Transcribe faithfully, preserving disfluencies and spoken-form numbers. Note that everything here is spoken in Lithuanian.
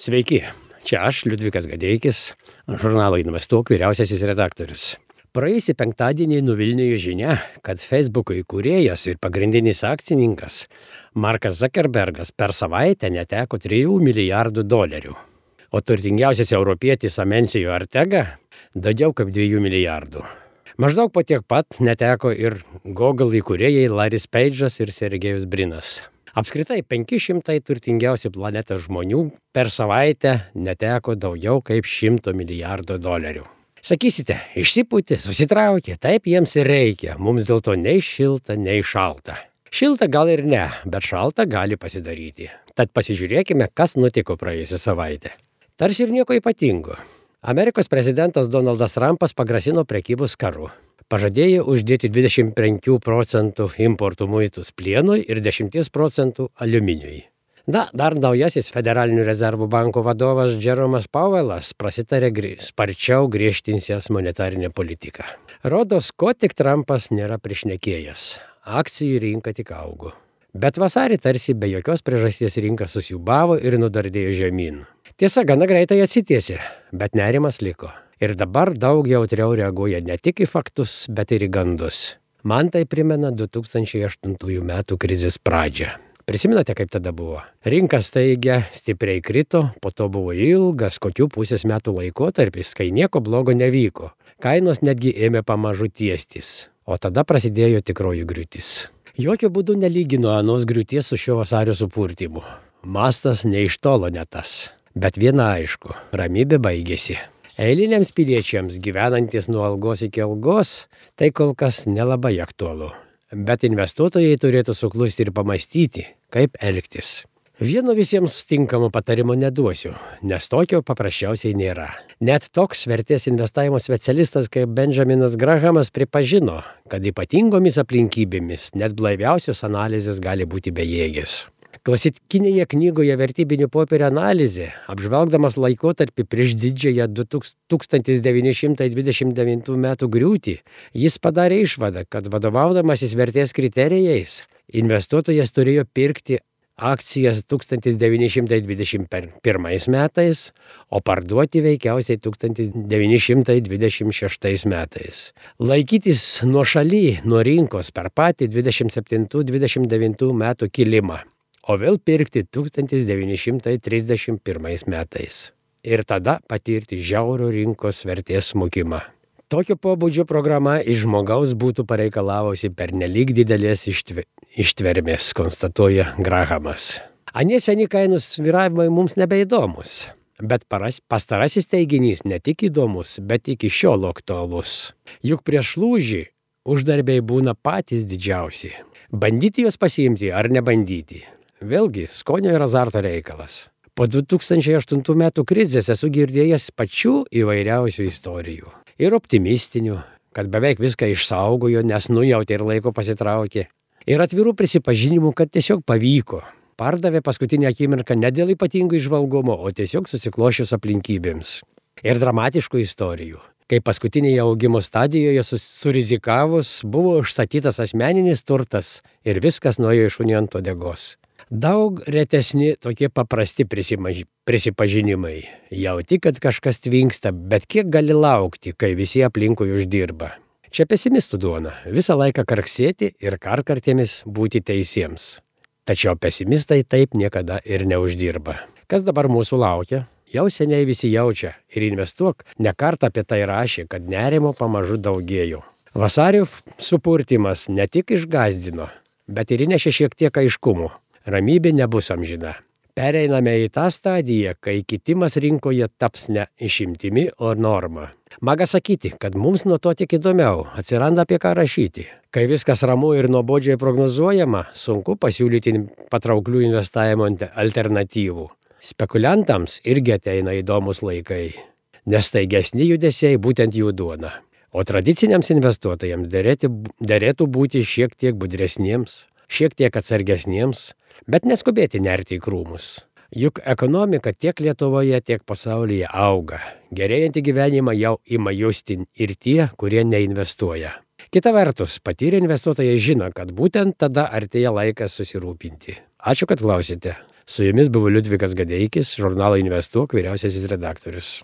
Sveiki, čia aš, Liudvikas Gadeikis, žurnalo Investuok vyriausiasis redaktorius. Praėjusį penktadienį nuvilnijo žinia, kad Facebooko įkūrėjas ir pagrindinis akcininkas Markas Zuckerbergas per savaitę neteko trijų milijardų dolerių, o turtingiausias europietis Amancio Ortega daugiau kaip dviejų milijardų. Maždaug po tiek pat neteko ir Google įkūrėjai Larrys Page'as ir Sergejus Brinas. Apskritai penki šimtai turtingiausių planetos žmonių per savaitę neteko daugiau kaip šimto milijardų dolerių. Sakysite, išsipūtė, susitraukė, taip jiems ir reikia, mums dėl to nei šilta, nei šalta. Šilta gal ir ne, bet šalta gali pasidaryti. Tad pasižiūrėkime, kas nutiko praėjusią savaitę. Tarsi ir nieko ypatingo. Amerikos prezidentas Donaldas Trumpas pagrasino prekybos karu. Pažadėjo uždėti dvidešimt penkių procentų importų muitus plienui ir dešimt procentų aliuminiui. Na, dar naujasis Federalinių rezervų banko vadovas Jeromas Powellas prasitarė gri- sparčiau griežtinsiąs monetarinę politiką. Rodos, ko tik Trumpas nėra prišnekėjęs. Akcijų rinka tik augo. Bet vasarį tarsi be jokios priežasties rinka susiūbavo ir nudardėjo žemyn. Tiesa, gana greitai atsitiesė, bet nerimas liko. Ir dabar daug jautriau reaguoja ne tik į faktus, bet ir į gandus. Man tai primena du tūkstančiai aštuntųjų metų krizės pradžią. Prisimenate, kaip tada buvo? Rinka staigia stipriai krito, po to buvo ilgas kokių pusės metų laikotarpis, kai nieko blogo nevyko. Kainos netgi ėmė pamažu tiestis, o tada prasidėjo tikroji griūtis. Jokių būdų nelygino anos griūties su šio vasario supurtymu. Mastas ne iš tolo ne tas. Bet viena aišku, ramybė baigėsi. Eiliniams piliečiams gyvenantis nuo algos iki algos, tai kol kas nelabai aktualu. Bet investuotojai turėtų suklusti ir pamastyti, kaip elgtis. Vieno visiems tinkamo patarimo neduosiu, nes tokio paprasčiausiai nėra. Net toks vertės investavimo specialistas kaip Benjaminas Grahamas pripažino, kad ypatingomis aplinkybėmis net blaiviausios analizės gali būti bejėgės. Klasikinėje knygoje Vertybinių popierių analizė, apžvelgdamas laikotarpį prieš didžiąją tūkstantis devyni šimtai dvidešimt devintų metų griūtį, jis padarė išvadą, kad vadovaudamasis vertės kriterijais, investuotojas turėjo pirkti akcijas tūkstantis devyni šimtai dvidešimt pirmais metais, o parduoti veikiausiai tūkstantis devyni šimtai dvidešimt šeštais metais. Laikytis nuošaly nuo rinkos per patį dvidešimt septintų dvidešimt devintų metų kilimą. O vėl pirkti tūkstantis devyni šimtai trisdešimt pirmais metais. Ir tada patirti žiaurų rinkos vertės smukimą. Tokio pobūdžio programa iš žmogaus būtų pareikalavusi pernelyg didelės ištve, ištvermės, konstatuoja Grahamas. Anie seni kainų svyravimai mums nebeįdomus. Bet paras, pastarasis teiginys ne tik įdomus, bet iki šiol aktualus. Juk prieš lūžį uždarbiai būna patys didžiausi. Bandyti juos pasiimti ar nebandyti? Vėlgi, skonio ir azarto reikalas. Po du tūkstančiai aštuntų metų krizės esu girdėjęs pačių įvairiausių istorijų. Ir optimistinių, kad beveik viską išsaugojo, nes nujautė ir laiko pasitraukė. Ir atvirų prisipažinimų, kad tiesiog pavyko. Pardavė paskutinę akimirką ne dėl ypatingų įžvalgumo, o tiesiog susiklošius aplinkybėms. Ir dramatiškų istorijų. Kai paskutinėje augimo stadijoje surizikavus buvo užsakytas asmeninis turtas ir viskas nuėjo iš šunį ant uodegos. Daug retesni tokie paprasti prisimaž... prisipažinimai. Jauti, kad kažkas tvinksta, bet kiek gali laukti, kai visi aplinkui uždirba. Čia pesimistų duona. Visą laiką karksėti ir karkartėmis būti teisiems. Tačiau pesimistai taip niekada ir neuždirba. Kas dabar mūsų laukia? Jau seniai visi jaučia ir investuok ne kartą apie tai rašė, kad nerimo pamažu daugėjo. Vasario supurtimas ne tik išgazdino, bet ir įnešė šiek tiek aiškumo. Ramybė nebus amžina. Pereiname į tą stadiją, kai kitimas rinkoje taps ne išimtimi, o norma. Maga sakyti, kad mums nuo to tik įdomiau, atsiranda apie ką rašyti. Kai viskas ramu ir nuobodžiai prognozuojama, sunku pasiūlyti patrauklių investavimo alternatyvų. Spekuliantams irgi ateina įdomus laikai, nes staigesni judesiai būtent jų duona. O tradiciniams investuotojams derėti, derėtų būti šiek tiek budresniems, šiek tiek atsargesniems, bet neskubėti nerti į krūmus. Juk ekonomika tiek Lietuvoje, tiek pasaulyje auga. Gerėjantį gyvenimą jau ima justi ir tie, kurie neinvestuoja. Kita vertus, patyrę investuotojai žino, kad būtent tada artėja laikas susirūpinti. Ačiū, kad klausėte. Su jumis buvo Liudvikas Gadeikis, žurnalo Investuok vyriausiasis redaktorius.